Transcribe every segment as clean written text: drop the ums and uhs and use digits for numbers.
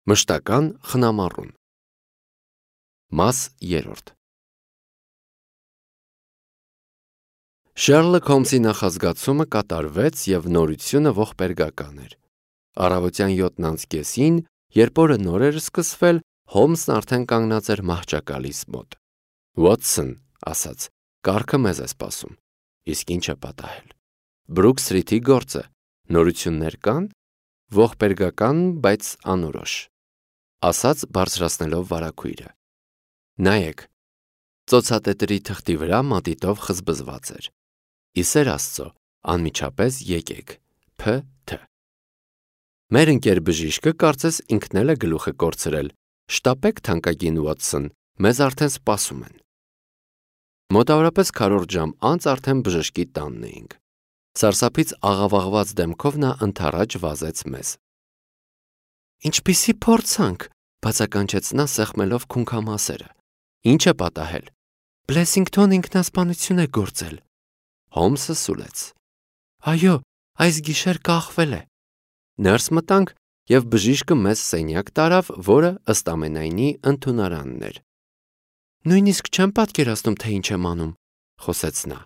Մշտական խնամառուն։ Մաս 3։ Շերլոկ Հոլմսի նախազգացումը կատարվեց և նորությունը ողբերգական էր։ Առավոտյան 7:30-ին, երբ օրը նոր էր սկսվել, Հոլմսն արդեն կանգնած էր մահճակալիս մոտ։ «Վոթսոն», ասաց, «կառքը մեզ է սպասում»։ Իսկ ինչ է պատահել։ Բրուք Սթրիթի գործը։ Նորություններ կան։ Ողբերգական, բայց անորոշ, ասաց բարձրացնելով վարագույրը։ Նայեք, ծոցատետրի թղթի վրա մատիտով խզբզված էր։ Ի սեր Աստծո, անմիջապես եկեք, Փ.Თ. Մեր ընկեր բժիշկը կարծես ինքն էլ է գլուխը կորցրել։ Շտապեք, թանկագին Վոթսոն, մեզ արդեն սպասում են։ Մոտավորապես քառորդ ժամ անց արդեն բժշկի տանն էինք։ Սարսափից աղավաղված դեմքով նա ընդառաջ վազեց մեզ։ Ինչպիսի փորձանք, բացականչեց նա սեղմելով քունքամասերը։ Ինչ է պատահել։ Բլեսինգթոն ինքնասպանություն է գործել։ Հոլմսը սուլեց։ Այո, այս գիշեր կախվել է։ Ներս մտանք և բժիշկը մեզ սենյակ տարավ, որը ըստ ամենայնի ընդունարանն էր։ Նույնիսկ չեմ պատկերացնում, թե ինչ եմ անում, խոսեց նա։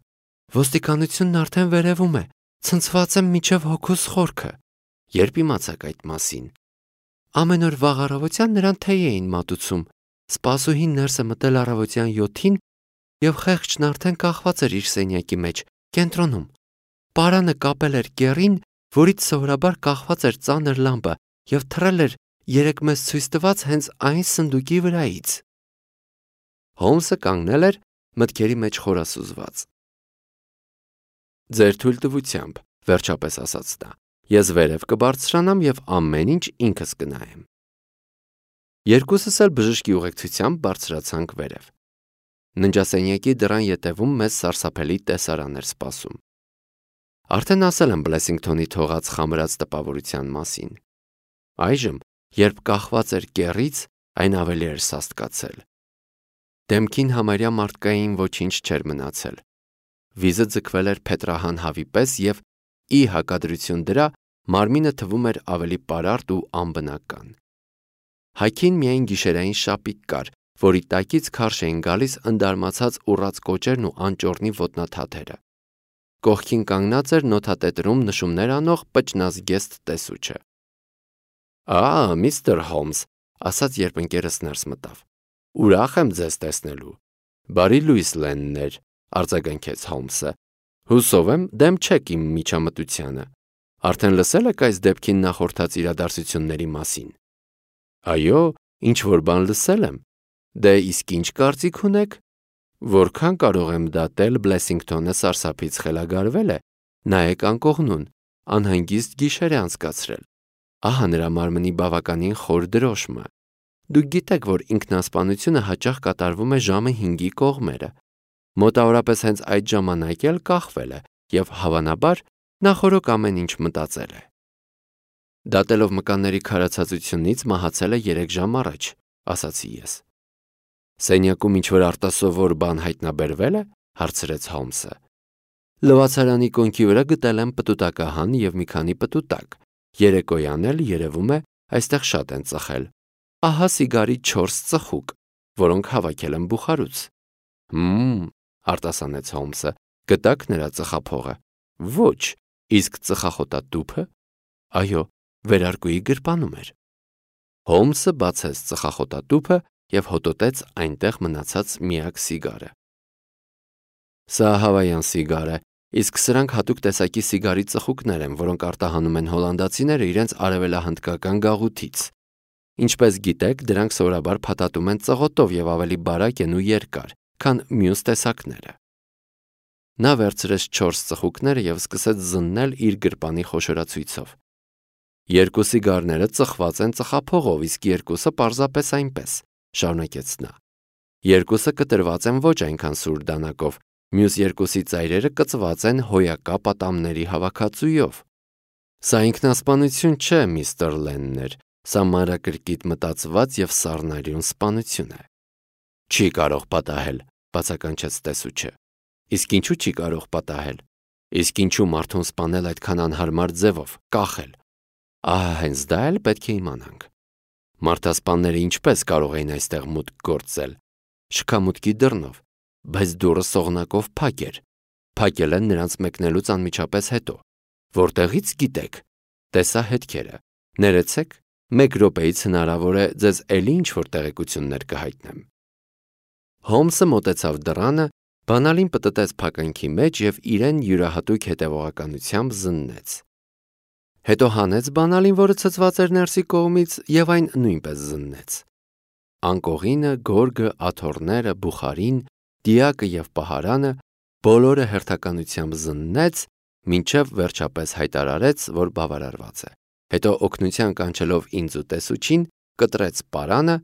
Ոստիկանությունն արդեն վերևում է, ցնցված եմ մինչև հոգուս խորքը։ Երբ իմացաք այդ մասին։ Ամեն օր վաղ առավոտյան նրան թեյ էին մատուցում։ Սպասուհին ներսը մտել առավոտյան 7-ին և խեղճն արդեն կախված էր իր սենյակի մեջ, կենտրոնում։ Պարանը կապել էր կեռին, որից սովորաբար կախված էր ծանր լամպը և թռել էր երեկ մեզ ցույց տված հենց այն սնդուկի վրայից։ Հոլմսը կանգնել էր մտքերի մեջ խորասուզված։ Ձեր թույլտվությամբ, վերջապես ասաց նա, ես վերև կբարձրանամ և ամեն ինչ ինքս կնայեմ։ Երկուսս էլ բժշկի ուղեկցությամբ բարձրացանք վերև։ Ննջասենյակի դռան ետևում մեզ սարսափելի տեսարան էր սպասում։ Արդեն ասել եմ Բլեսինգթոնի թողած խամրած տպավորության մասին։ Այժմ, երբ կախված էր կեռից, այն ավելի էր սաստկացել։ Դեմքին համարյա մարդկային ոչինչ չէր մնացել։ Վիզը ձգվել էր փետրահան հավի պես և, ի հակադրություն դրա, մարմինը թվում էր ավելի պարարտ ու անբնական։ Հայքին միայն գիշերային շապիկ կար, որի տակից քարշ էին գալիս ընդարմացած ուռած կոճերն ու անճոռնի ոտնաթաթերը։ Կողքին կանգնած էր նոթատետրում նշումներ անող պճնազգեստ տեսուչը։ Միստր Հոլմս, ասաց, երբ ընկերս ներս մտավ։ Ուրախ եմ ձեզ տեսնելու։ Բարի լույս Լեններ, արձագանքեց Հոլմսը։ Հուսով եմ, դեմ չեք իմ միջամտությանը։ Արդեն լսել եք այս դեպքին նախորդած իրադարձությունների մասին։ Այո, ինչ-որ բան լսել եմ։ Դե իսկ ինչ կարծիք ունեք։ Որքան կարող եմ դատել, Բլեսինգթոնը սարսափից խելագարվել է։ Նայեք անկողնուն, անհանգիստ գիշեր է անցկացրել։ Ահա նրա մարմնի բավականին խոր դրոշմը։ Դուք գիտեք, որ ինքնասպանությունը հաճախ կատարվում է ժամը 5-ի կողմերը։ Մոտավորապես հենց այդ ժամանակ էլ կախվել է և հավանաբար նախօրոք ամեն ինչ մտածել է։ Դատելով մկանների քարացածությունից մահացել է 3 ժամ առաջ, ասացի ես։ Սենյակում ինչ-որ արտասովոր բան հայտնաբերվել է, հարցրեց Հոլմսը։ Լվացարանի կոնքի վրա գտել եմ պտուտակահան և մի քանի պտուտակ։ Երեկոյան էլ, երևում է, այստեղ շատ են ծխել։ Ահա սիգարի 4 ծխուկ, որոնք հավաքել եմ բուխարուց։ Արտասանեց Հոլմսը, գտաք նրա ծխափողը։ Ոչ, իսկ ծխախոտատուփը։ Այո, վերարկուի գրպանում էր։ Հոլմսը բացեց ծխախոտատուփը և հոտոտեց այնտեղ մնացած միակ սիգարը։ Սա հավայան սիգար է, իսկ սրանք հատուկ տեսակի սիգարի ծխուկներ են, որոնք արտահանում են հոլանդացիները իրենց արևելահնդկական գաղութից։ Ինչպես գիտեք, դրանք սովորաբար փաթաթում են ծղոտով և ավելի բարակ են ու երկար, քան մյուս տեսակները։ Նա վերցրեց 4 ծխուկները և սկսեց զննել իր գրպանի խոշորացույցով։ 2 սիգարները ծխված են ծխափողով, իսկ 2-ը պարզապես այնպես, շարունակեց նա։ 2-ը կտրված են ոչ այնքան սուր դանակով, մյուս 2-ի ծայրերը կծված են հոյակա պատամների հավաքածուով։ Սա ինքնասպանություն չէ, միստր Լեններ, սա մանրակրկիտ մտածված և սառնարյուն սպանություն է։ Չի կարող պատահել, բացականչեց տեսուչը։ Իսկ ինչու չի կարող պատահել։ Իսկ ինչու մարդուն սպանել այդքան անհարմար ձևով, կախել։ Ահա հենց դա էլ պետք է իմանանք։ Մարդասպանները ինչպես կարող էին այստեղ մուտք գործել։ Շքամուտքի դռնով, բայց դուռը սողնակով փակ էր։ Փակել են նրանց մեկնելուց անմիջապես հետո։ Որտեղից գիտեք։ Տեսա հետքերը։ Ներեցեք, 1 րոպեից հնարավոր է ձեզ էլի ինչ-որ տեղեկություններ կհայտնեմ։ Հոլմսը մոտեցավ դռանը, բանալին պտտեց փականքի մեջ և իրեն յուրահատուկ հետևողականությամբ զննեց։ Հետո հանեց բանալին, որը ցցված էր ներսի կողմից, և այն նույնպես զննեց։ Անկողինը, գորգը, աթոռները, բուխարին, դիակը և պահարանը բոլորը հերթականությամբ զննեց, մինչև վերջապես հայտարարեց, որ բավարարված է։ Հետո օգնության կանչելով ինձ ու տեսուչին, կտրեց պարանը,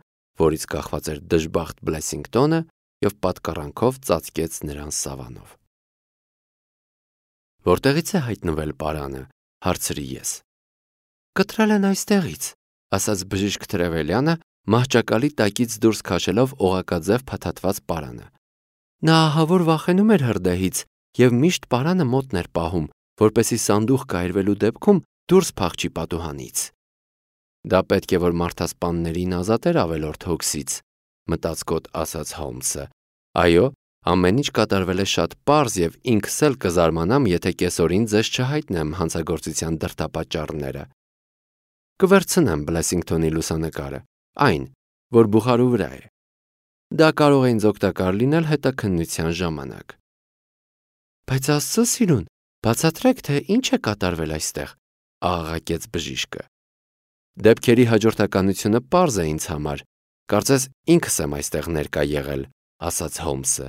որից կախված էր դժբախտ Բլեսինգտոնը, և պատկառանքով ծածկեց նրան սավանով։ Որտեղից է հայտնվել պարանը, հարցրի ես։ Կտրել են այստեղից, ասաց բժիշկ Տրևելյանը, մահճակալի տակից դուրս քաշելով օղակաձև փաթաթված պարանը։ Նա ահավոր վախենում էր հրդեհից և միշտ պարանը մոտն էր պահում, որպեսզի սանդուղք կայրվելու դեպքում դուրս փախչի պատուհանից։ Դա պետք է որ մարդասպաններին ազատեր ավելորդ հոգսից, մտածկոտ ասաց Հոլմսը։ Այո, ամեն ինչ կատարվել է շատ պարզ և ինքս էլ կզարմանամ, եթե կեսօրին ձեզ չհայտնեմ հանցագործության դրդապատճառները։ Կվերցնեմ Բլեսինգտոնի լուսանկարը, այն, որ բուխարու վրա է։ Դա կարող է ինձ օգտակար լինել հետաքննության ժամանակ։ Բայց Աստծո սիրուն, բացատրեք, թե ինչ է կատարվել այստեղ, աղաղակեց բժիշկը։ Դեպքերի հաջորդականությունը պարզ է ինձ համար, կարծես ինքս եմ այստեղ ներկա եղել, ասաց Հոլմսը։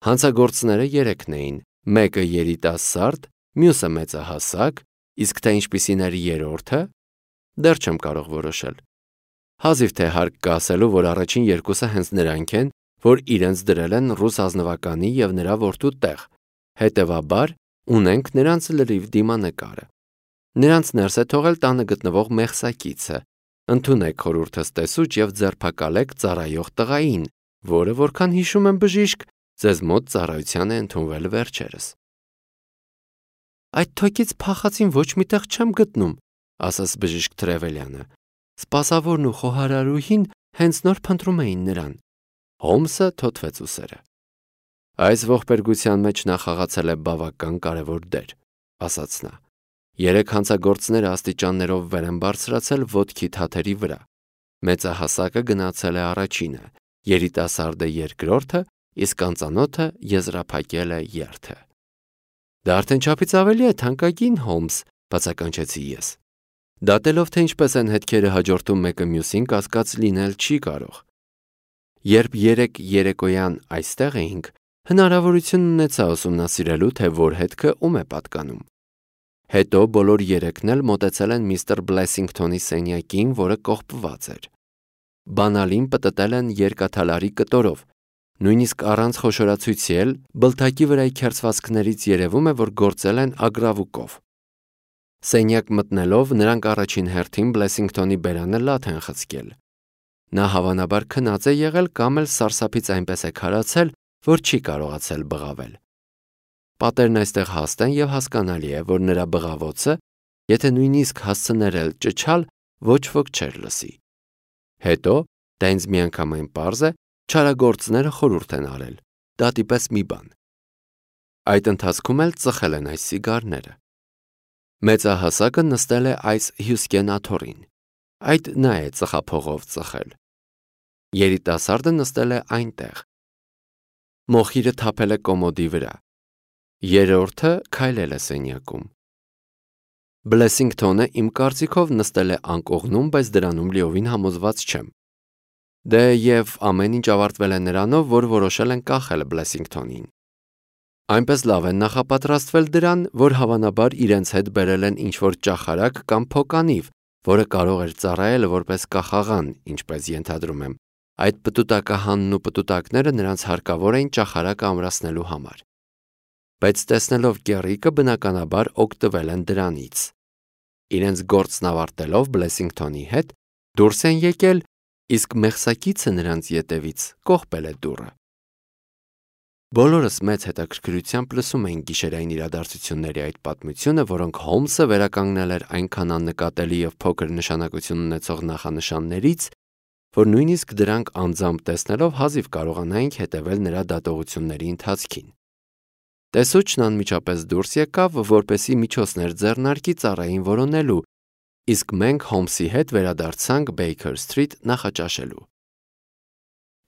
Հանցագործները 3 էին, մեկը երիտասարդ, մյուսը մեծահասակ, իսկ թե ինչպիսին էր երրորդը, դեռ չեմ կարող որոշել։ Հազիվ թե հարկ կա ասելու, որ առաջին 2-ը հենց նրանք են, որ իրենց դրել են ռուս ազնվականի և նրա որդու տեղ, հետևաբար ունենք նրանց լրիվ դիմանկարը։ Նրանց ներս է թողել տանը գտնվող մեղսակիցը։ Ընդունեք խորհուրդս տեսուչ և ձերբակալեք ծառայող տղային, որը, որքան հիշում եմ բժիշկ, ձեզ մոտ ծառայության է ընդունվել վերջերս։ Այդ թոքից փախածին ոչ մի տեղ չեմ գտնում, ասաց բժիշկ Տրևելյանը։ Սպասավորն ու խոհարարուհին հենց նոր փնտրում էին նրան։ Հոլմսը թոթվեց ուսերը։ Այս ողբերգության մեջ նա խաղացել է բավական կարևոր դեր, ասաց նա։ 3 հանցագործները աստիճաններով վեր են բարձրացել ոտքի թաթերի վրա։ Մեծահասակը գնացել է առաջինը, երիտասարդը երկրորդը, իսկ անծանոթը եզրափակել է երթը։ Դա արդեն չափից ավելի է թանկագին, Հոլմս, բացականչեցի ես։ Դատելով, թե ինչպես են հետքերը հաջորդում մեկը մյուսին, կասկած լինել չի կարող։ Երբ 3 երեկոյան այստեղ էինք, հնարավորություն ունեցա ուսումնասիրելու, թե որ հետքը ում է պատկանում։ Հետո բոլոր 3-ն էլ մոտեցել են միստր Բլեսինգտոնի սենյակին, որը կողպված էր։ Բանալին պտտել են երկաթալարի կտորով, նույնիսկ առանց խոշորացույցի էլ բլթակի վրայի քերծվածքներից երևում է, որ գործել են ագրավուկով։ Սենյակ մտնելով նրանք առաջին հերթին Բլեսինգտոնի բերանը լաթ են խցկել։ Նա հավանաբար քնած է եղել կամ էլ սարսափից այնպես է քարացել, որ չի կարողացել բղավել։ Պատերն այստեղ հաստ են և հասկանալի է, որ նրա բղավոցը, եթե նույնիսկ հասցներ էլ ճչալ, ոչ ոք չէր լսի։ Հետո, դա ինձ միանգամայն պարզ է, չարագործները խորհուրդ են արել, դատի պես մի բան։ Այդ ընթացքում էլ ծխել են այս սիգարները։ Մեծահասակը նստել է այս Հյուսկեն աթոռին։ Այդ նա է ծխափողով ծխել։ Երիտասարդը նստել է այնտեղ։ Մոխիրը թափել է կոմոդի վրա։ Երրորդը քայլել է սենյակում։ Բլեսինգտոնը իմ կարծիքով նստել է անկողնում, բայց դրանում լիովին համոզված չեմ։ Դե և ամեն ինչ ավարտվել է նրանով, որ որոշել են կախել Բլեսինգտոնին։ Այնպես լավ են նախապատրաստվել դրան, որ հավանաբար իրենց հետ բերել են ինչ-որ ճախարակ կամ փոկանիվ, որը կարող էր ծառայել որպես կախաղան, ինչպես ենթադրում եմ։ Այդ պտուտակահանն ու պտուտակները նրանց հարկավոր էին ճախարակը ամրացնելու համար։ Բայց տեսնելով կեռիկը, բնականաբար օգտվել են դրանից։ Իրենց գործն ավարտելով Բլեսինգտոնի հետ դուրս են եկել, իսկ մեղսակիցը նրանց ետևից կողպել է դուռը։ Բոլորս մեծ հետաքրքրությամբ լսում էին գիշերային իրադարձությունների այդ պատմությունը, որոնք Հոլմսը վերականգնել էր այնքան աննկատելի և փոքր նշանակություն ունեցող նախանշաններից, որ նույնիսկ դրանք անձամբ տեսնելով հազիվ կարողանայինք հետևել նրա դատողությունների ընթացքին։ Տեսուչն անմիջապես դուրս եկավ, որպեսզի միջոցներ ձեռնարկի ծառային որոնելու, իսկ մենք Հոլմսի հետ վերադարձանք Baker Street նախաճաշելու։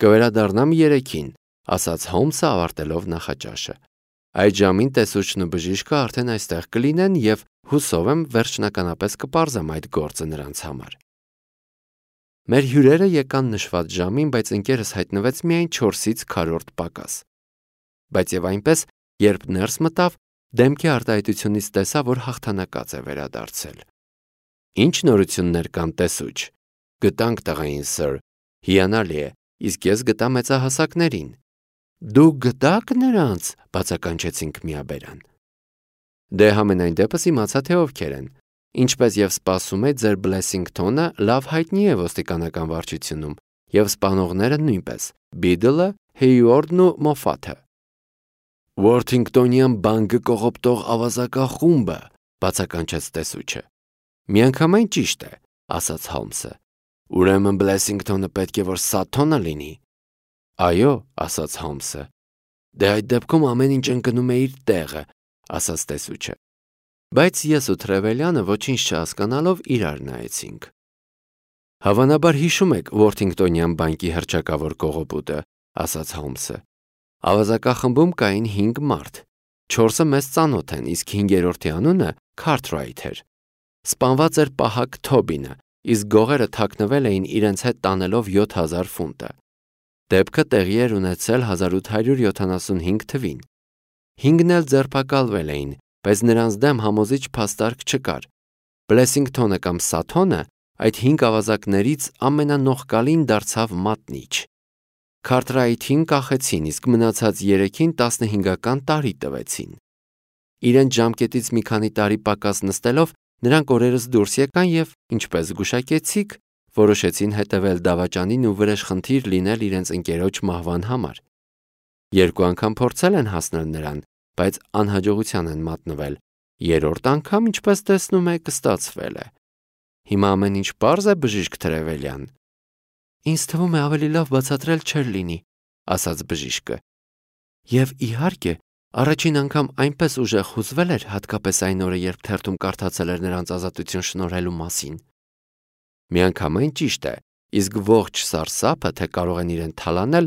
«Կվերադառնամ 3-ին», ասաց Հոլմսը ավարտելով նախաճաշը։ «Այդ ժամին տեսուչն ու բժիշկը արդեն այստեղ կլինեն և հուսով եմ վերջնականապես կպարզեմ այդ գործը նրանց համար»։ Մեր հյուրերը եկան նշված ժամին, բայց ընկերս հայտնվեց միայն 4-ից քառորդ պակաս։ Բայց և այնպես, երբ ներս մտավ, դեմքի արտահայտությունից տեսա, որ հաղթանակած է վերադարձել։ «Ինչ նորություններ կան, տեսուչ»։ «Գտանք տղային, սըր, հիանալի է, իսկ ես գտա մեծահասակներին»։ «Դուք գտա՞ք նրանց», բացականչեցինք միաբերան։ «Դե համենայն դեպս իմացա, թե ովքեր են։ Ինչպես և սպասում է, ձեր Բլեսինգթոնը լավ հայտնի է ոստիկանական վարչությունում, և սպանողները նույնպես՝ Բիդլը, Հեյուորդն ու Մոֆաթը»։ «Ուորթինգտոնյան բանկը կողոպտող ավազակախումբը», բացականչեց տեսուչը։ «Միանգամայն ճիշտ է», ասաց Հոլմսը։ «Ուրեմն Բլեսինգթոնը պետք է որ Սաթոնը լինի»։ «Այո», ասաց Հոլմսը։ «Դե այդ դեպքում ամեն ինչ ընկնում է իր տեղը», ասաց տեսուչը։ Բայց ես ու Թրևելյանը ոչինչ չհասկանալով իրար նայեցինք։ «Հավանաբար հիշում եք Ուորթինգտոնյան բանկի հռչակավոր կողոպուտը», ասաց Հոլմսը։ «Ավազակախմբում կային 5 մարդ։ 4-ը մեզ ծանոթ են, իսկ 5-րդի անունը Քարթրայթ էր։ Սպանված էր պահակ Թոբինը, իսկ գողերը թաքնվել էին իրենց հետ տանելով 7000 ֆունտը։ Դեպքը տեղի էր ունեցել 1875 թվին։ 5-ն էլ ձերբակալվել էին, բայց նրանց դեմ համոզիչ փաստարկ չկար։ Բլեսինգթոնը կամ Սաթոնը այդ 5 ավազակներից ամենանողկալին դարձավ մատնիչ։ Քարթրայթին կախեցին, իսկ մնացած 3-ին 15-ական տարի տվեցին։ Իրենց ժամկետից մի քանի տարի պակաս նստելով նրանք օրերս դուրս եկան և, ինչպես զգուշակեցիք, որոշեցին հետևել դավաճանին ու վրեժխնդիր լինել իրենց ընկերոջ մահվան համար։ 2 անգամ փորձել են հասնել նրան, բայց անհաջողության են մատնվել։ 3-րդ անգամ, ինչպես տեսնում եք, ստացվել է։ Հիմա ամեն ինչ պարզ է, բժիշկ Թրևելյան։ «Ինձ թվում է ավելի լավ բացատրել չէր լինի», ասաց բժիշկը։ Եվ իհարկե, առաջին անգամ այնպես ուժեղ հուզվել էր, հատկապես այն օրը, երբ թերթում կարդացել էր նրանց ազատություն շնորհելու մասին։ Միանգամայն ճիշտ է, իսկ ողջ սարսափը, թե կարող են իրեն թալանել,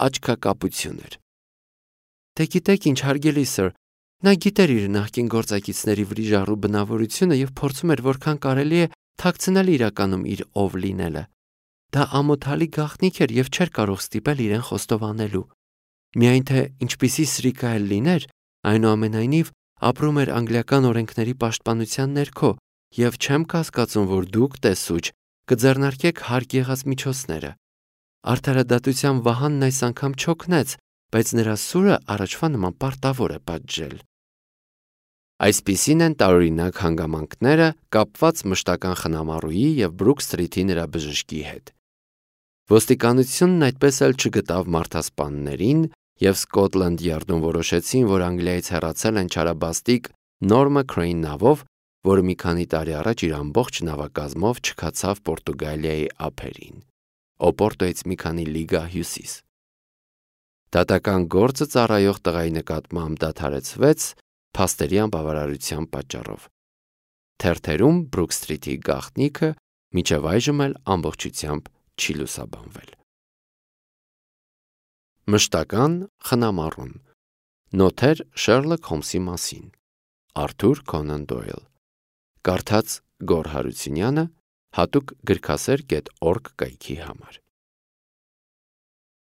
աչքակապություն էր։ Դե գիտեք ինչ, հարգելի սըր, նա գիտեր իր նախկին գործակիցների վրիժառու բնավորությունը և փորձում էր որքան կարելի է թաքցնել իրականում իր ով լինելը։ Դա ամոթալի գաղտնիք էր և չէր կարող ստիպել իրեն խոստովանելու։ Միայն թե ինչպիսի սրիկա էլ լիներ, այնուամենայնիվ ապրում էր անգլիական օրենքների պաշտպանության ներքո, և չեմ կասկածում, որ դուք, տեսուչ, կձեռնարկեք հարկ եղած միջոցները։ Արդարադատության վահանն այս անգամ չօգնեց, բայց նրա սուրը առաջվա նման պարտավոր է պատժել։ Այսպիսին են տարօրինակ հանգամանքները կապված մշտական խնամառուի և Բրուք Սթրիթի նրա բժշկի հետ։ Ոստիկանությունն այդպես էլ չգտավ մարդասպաններին, և Սկոտլանդ Յարդում որոշեցին, որ Անգլիայից հեռացել են չարաբաստիկ Նորմը Քրեյն նավով, որը մի քանի տարի առաջ իր ամբողջ նավակազմով չքացավ Պորտուգալիայի ափերին, Օպորտոյից մի քանի լիգա հյուսիս։ Դատական գործը ծառայող տղայի նկատմամբ դադարեցվեց փաստերի անբավարարության պատճառով։ Թերթերում Բրուք Սթրիթի գաղտնիքը մինչև այժմ էլ ամբողջությամբ չի լուսաբանվել։ Մշտական խնամառուն։ Նոթեր Շերլոք Հոլմսի մասին։ Արթուր Քոնան Դոյլ։ Կարդաց Գոռ Հարությունյանը, հատուկ գրքասեր.org կայքի համար։